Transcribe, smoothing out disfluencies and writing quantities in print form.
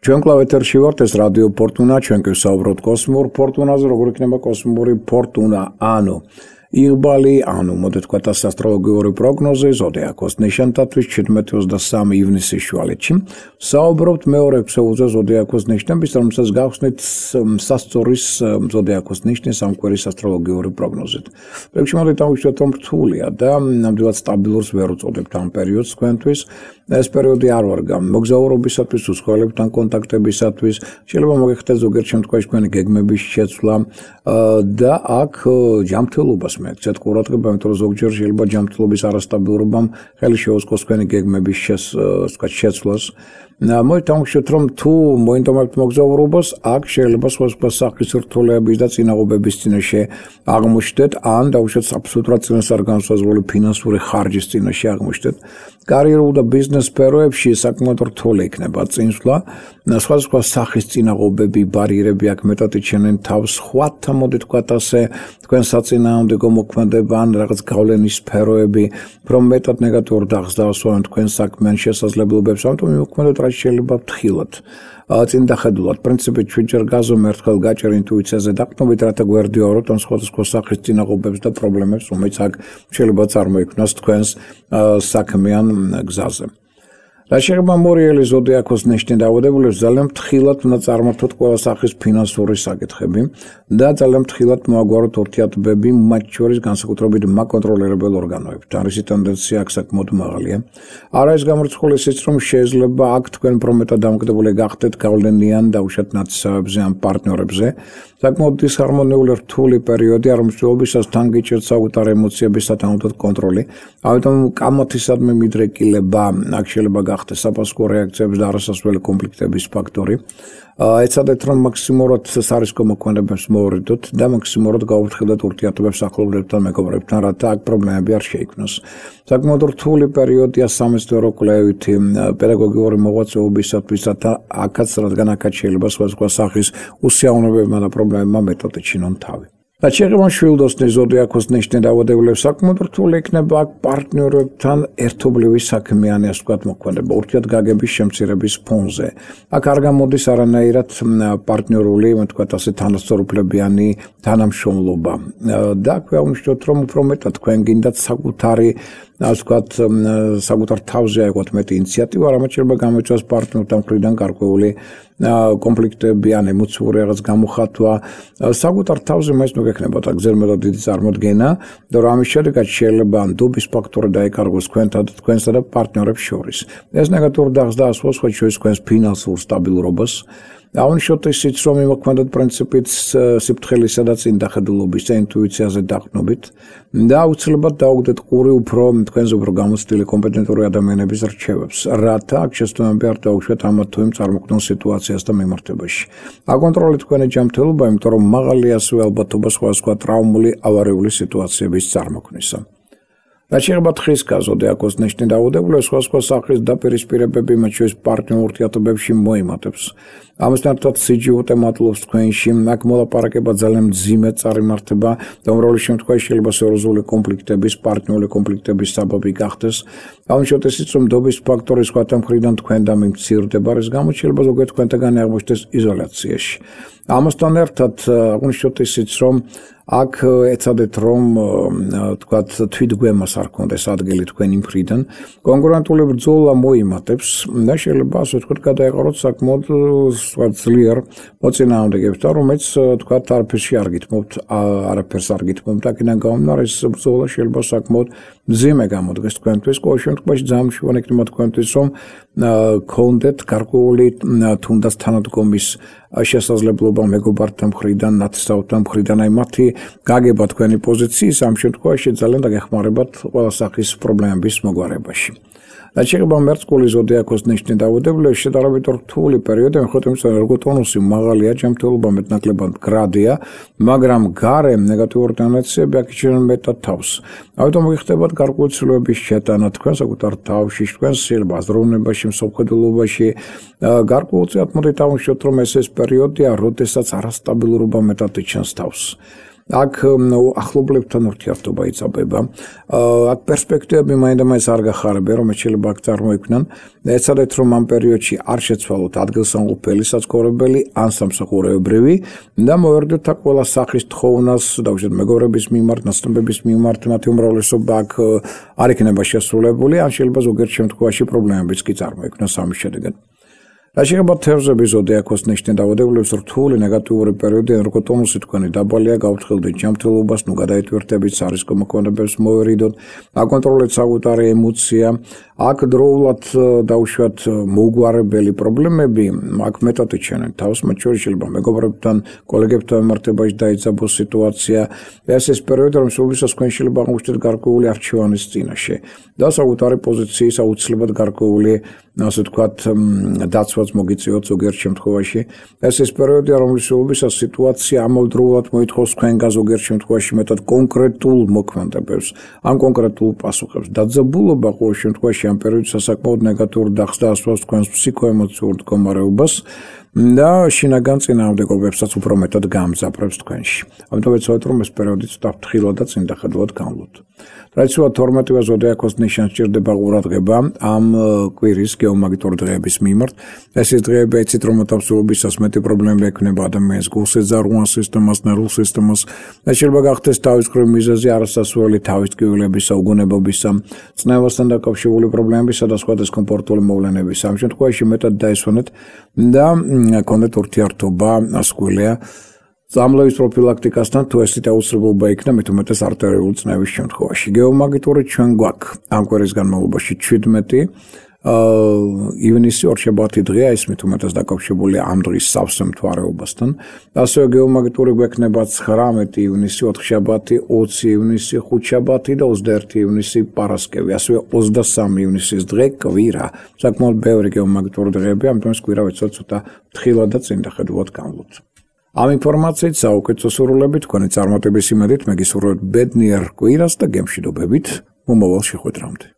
ჩვენ კლავ ეთერში ვართ, ეს რადიო ფორტუნა, ჩვენ გვსაუბრობთ კოსმურ ფორტუნაზე, როგორ იქნება კოსმური ფორტუნა, ანუ იღბალი, ანუ მოდით ვთქვათ ასტროლოგიური პროგნოზი ზოდიაქოს ნიშნებისთვის 17-23 ივნისის შუალედში. საუბრობთ მეორე ქსოვილზე ზოდიაქოს ნიშნების, რომელსაც გავხსნით სასწორის ზოდიაქოს ნიშნის ამკვირის ასტროლოგიური პროგნოზით. პროექტში მოდით დავუშვათ, რომ რთულია და ნამდვილად სტაბილურს ვერ უწოდებთ ამ პერიოდს თქვენთვის. ეს პერიოდი არ ვარ მოგზაურობისათვის, უცხოელებთან კონტაქტებისათვის, შეიძლება მოგეხდეთ ზოგიერთ შემთხვევაში თქვენი გეგმების შეცვლა და აქ ჯანმრთელობას მეკცეთ ყურადღება, იმიტომ რომ ზოგჯერ შეიძლება ჯანმრთელობის არასტაბილურობამ ხელი შეუწყოს თქვენი გეგმების შეცვლას. მოდით დავუშვათ, რომ თუ მოინდომებთ მოგზაურობას, აქ შეიძლება სხვა სახის რთულეების და წინაღობების წინაშე აღმოჩნდეთ, ან დავუშვათ აბსოლუტურად წინასწარ განსაზღვრული ფინანსური ხარჯის წინაშე აღმოჩნდეთ. კარიერულ და ბიზნეს სფეროებში საკმაოდ რთული იქნება წინსვლა. სხვადასხვა სახის წინაღობები, ბარიერები აქ მეტად იჩენენ თავს, სხვათა მოდით ვთქვათ ასე, თქვენ საწინააღმდეგო მოქმედება ან რაღაც გავლენის სფეროები, რომ მეტად ნეგატიურ დახს დაასვავენ თქვენ საქმიან შესაძლებლობებს, ამიტომ მივუქმედოთ რაც შეიძლება ფრთხილად. წინ დახედულად, პრინციპით ჩვენჯერ გაზომე ერთხელ გაჭერ ინტუიციაზე დაყრდნობით, რათა გვერდიაუროთ ამ სხვადასხვა სახის წინაღობებს და პრობლემებს, რომელიც აქ შეიძლება წარმოიქმნას თქვენს საქმიან გზაზე. რაც შეეხება მორიელი ზოდიაქოს ნიშნის დაავადებულებს, ძალიან ფრთხილად უნდა წარმართოთ ყველა სახის ფინანსური საკითხები და ძალიან ფრთხილად მოაგვაროთ ურთიერთობები მათ შორის განსაკუთრებით მაკონტროლირებელ ორგანოებთან. რისი ტენდენცია აქ საკმაოდ მაღალია. არა ის გამორიცხული ისიც, რომ შეიძლება აქ თქვენ პრომეტად დამოკიდებული გახდეთ გავლენიან დაუშვათ ნათესავებზე ან პარტნიორებზე. საკმაოდ დისჰარმონიული რთული პერიოდი, რომელშობისას თან გიჭირთ საკუთარი ემოციების სათანადოდ კონტროლი. ამიტომ კამათისადმი მიდრეკილება აქ შეიძლება გახდეს საფასურო რეაქციების და არასასვლელი კონფლიქტების ფაქტორი. ეცადეთ, რომ მაქსიმალურად სარისკო მოქმედებებს მოვარდოთ და მაქსიმალურად გავუფრთხილდეთ ურთიერთობებს ახლობლებთან, მეგობრებთან, რათა აქ პრობლემები არ შეიქმნას. საკმაოდ რთული პერიოდია სამეცნიერო კვლევითი პედაგოგიური მოღვაწეობისათვის, რათა აქაც, რადგან აქაც შეიძლება სხვადასხვა სახის უსიამოვნებებმა და პრობლემებმა მეტად ეჩინონ თავი. რაც შეეხება შვილდოსნის ზოდიაქოს ნიშნის დაავადებულებს, საკმაოდ რთული იქნება აქ პარტნიორებთან ერთობლივი საქმიანი, ასე ვთქვათ, მოქმედება ურთიერთგაგების შემცირების ფონზე. აქ არ გამოდის არანაირად პარტნიორული, ვთქვათ ასე, თანასწორუფლებიანი თანამშრომლობა. და აქ ვაუნიშნოთ, რომ უფრო მეტად თქვენ გინდათ საკუთარი ასე ვთქვათ, საკუთარ თავზე აიღოთ მეტი ინიციატივა, რამაც შეიძლება გამოიწვიოს პარტნიორთან მხრიდან გარკვეული კონფლიქტები ან ემოციური რაღაც გამოხატვა. საკუთარ თავზე მაინც მოგექნებათ აქ ზერმეტად დიდი წარმოდგენა და რომ ამის შედეგად შეიძლება ნდობის ფაქტორი დაეკარგოს თქვენსა და პარტნიორებს შორის. ეს ნეგატიურ დახს დაასვავს სხვა შორის თქვენს ფინანსურ სტაბილურობას. აუნიშნოთ ისიც, რომ იმოქმედოთ პრინციპით სიფრთხილისა და წინდახედულობის და ინტუიციაზე დაყრდნობით და აუცილებლად დაუგდეთ ყური უფრო თქვენზე უფრო გამოცდილი კომპეტენტური ადამიანების რჩევებს, რათა აქ შეცდომები არ დაუშვათ ამათ თუ იმ წარმოქმნილ სიტუაციას და მიმართებაში. აკონტროლეთ თქვენი ჯანმრთელობა, იმიტომ რომ მაღალი ასევე ალბათობა სხვადასხვა ტრავმული ავარიული სიტუაციების წარმოქმნისა. რაც შეეხება თხრის ზოდიაქოს ნიშნის დაავადებულებს, სხვადასხვა სახის დაპირისპირებები, მათ შორის პარტნიორ ურთიერთობებში მოიმატებს. ამასთან ერთად სიჯიუტე მატლობს თქვენში, აქ მოლაპარაკება ძალიან მძიმე წარიმართება და უმრავლეს შემთხვევაში შეიძლება სერიოზული კონფლიქტების, პარტნიორული კონფლიქტების საბაბი გახდეს. აუნიშნოთ ისიც, რომ ნდობის ფაქტორი სხვათა მხრიდან თქვენთან მიმცირდება, რის გამოც შეიძლება ზოგიერთ თქვენთაგანი აღმოჩნდეს იზოლაციაში. ამასთან ერთად აღვნიშნოთ ისიც, რომ აქ ეცადეთ, რომ თქვათ თვითგვემას არ ქონდეს ადგილი თქვენი მხრიდან, კონკურენტული ბრძოლა მოიმატებს და შეიძლება ასე ვთქვათ, გადაეყაროთ საკმაოდ ძლიერ მოწინააღმდეგებთან, რომელიც თქვათ არაფერში არ გითმობთ, არაფერს არ გითმობთ, აქედან გამომდინარე ეს ბრძოლა შეიძლება საკმაოდ მძიმე გამოდგეს თქვენთვის. ყოველ შემთხვევაში ძალიან მნიშვნელოვანი იქნება თქვენთვის, რომ გქონდეთ გარკვეული თუნდაც თანადგომის შესაძლებლობა მეგობართან მხრიდან, ნათესავთან მხრიდან, აი მათი გაგება თქვენი პოზიციის ამ შემთხვევაში ძალიან დაგეხმარებათ ყველა სახის პრობლემების მოგვარებაში. რაც შეეხება მერწყული ზოდიაქოს ნიშნის დაავადებულებს, შედარებით რთული პერიოდი, მიუხედავად იმისა, რომ ერგოტონუსი მაღალია, ჯანმრთელობა მეტნაკლებად მდგრადია, მაგრამ გარემ ნეგატიური ტენდენციები აქ იჩენენ მეტად თავს. ამიტომ მოგიხდებათ გარკვეული ცვლილებების შეტანა თქვენ საკუთარ თავში, თქვენს შეიძლება აზროვნებაში, მსოფლმხედველობაში. გარკვეულწილად მოდით ავუშვათ, რომ ეს პერიოდია, როდესაც არასტაბილურობა მეტად იჩენს თავს. აქ ახლობლებთან ურთიერთობა იწაბება. აქ პერსპექტივები მაინდამაინც არ გახარებია, რომელიც შეიძლება აქ წარმოიქმნან. ეცადეთ, რომ ამ პერიოდში არ შეცვალოთ ადგილსამყოფელი საცხოვრებელი ან სამსახურეობრივი და მოვერდეთ აქ ყველა სახის თხოვნას, დავუშვათ მეგობრების მიმართ, ნაცნობების მიმართ, მათი უმრავლესობა აქ არ იქნება შესრულებული, ან შეიძლება ზოგიერთ შემთხვევაში პრობლემებიც კი წარმოიქმნას ამის შედეგად. რა შეიძლება თევზების ზოდიაქოს ნიშნი დაავადებლების რთული ნეგატიური პერიოდი, როგორც ტონუსი თქვენი დაბალია, გავთხილდით ჯანმრთელობას, გადაიტვირთებით, სარისკო მოქმედებებს მოვერიდოთ, აკონტროლეთ საკუთარი ემოცია. აქ დროულად დავუშვათ მოუგვარებელი პრობლემები, აქ მეტად იჩენენ თავს, მათ შორის შეიძლება მეგობრებთან, კოლეგებთან მიმართებაში დაიძაბოს სიტუაცია. ეს პერიოდი, რომ სულისას თქვენ შეიძლება აღმოჩნდეთ გარკვეული არჩევანის წინაშე და საკუთარი პოზიციის აუცილებლად გარკვეული, ასე ვთქვათ, დაცვაც მოგიწიოთ ზოგიერთ შემთხვევაში. ეს პერიოდია, რომლის სულისას სიტუაცია ამავდროულად მოითხოვს თქვენგან ზოგიერთ შემთხვევაში მეტად კონკრეტულ მოქმედებებს, ან კონკრეტულ პასუხებს. დაძაბულობა ყოველ შემთხვევაში ამ პერიოდში სასაკმაოდ ნეგატიურ დახს და ასვავს თქვენს ფსიქოემოციურ მდგომარეობას და შინაგან წინააღმდეგობებსაც უფრო მეტად გაამძაფრებს თქვენში. ამიტომ ეცადეთ, რომ ეს პერიოდი ცოტა ფრთხილად და წინდახედულად განვლოთ. ტრადიციულად 12-ვე ზოდიაქოს ნიშანს ჭირდება ყურადღება ამ კვირის გეომაგნიტური დღეების მიმართ. ეს დღეები იცით, რომ მოთავსებისას მეტი პრობლემები ექმნება ადამიანის გულსეძარღვან სისტემას, ნერვულ სისტემას. ეს შეიძლება გახდეს თავისუფლების მიზეზი არასასურველი თავის ტკივილებისა, უგონებობისა, წნევასთან დაკავშირებული პრობლემებისა და სხვა დისკომფორტული მოვლენებისა. ამ შემთხვევაში მეტად დაისვენეთ და კონდეთ ურთიერთობა ასკვლია წამლების პროფილაქტიკასთან, თუ ესეთ აუცილებლობა იქნა, მით უმეტეს არტერიული წნევის შემთხვევაში. გეომაგნიტური ჩვენ გვაქვს ამ კვირის განმავლობაში 17 ივნისი ორშაბათი დღეა, ეს მით უმეტეს დაკავშირებულია ამ დღის სავსე მთვარეობასთან. ასევე გეომაგნიტური გვექნება 19 ივნისი, 4 შაბათი, 20 ივნისი, 5 შაბათი და 21 ივნისი პარასკევი. ასევე 23 ივნისის დღე კვირა. საკმაოდ ბევრი გეომაგნიტური დღეები, ამიტომ ეს კვირა ეცადეთ ცოტა ფრთხილად და წინდახედულად განვლოთ. ამ ინფორმაციით საუკეთესო სურვილებით, თქვენი წარმატების იმედით, მე გისურვებთ ბედნიერ კვირას და გემშვიდობებით მომავალ შეხვედრამდე.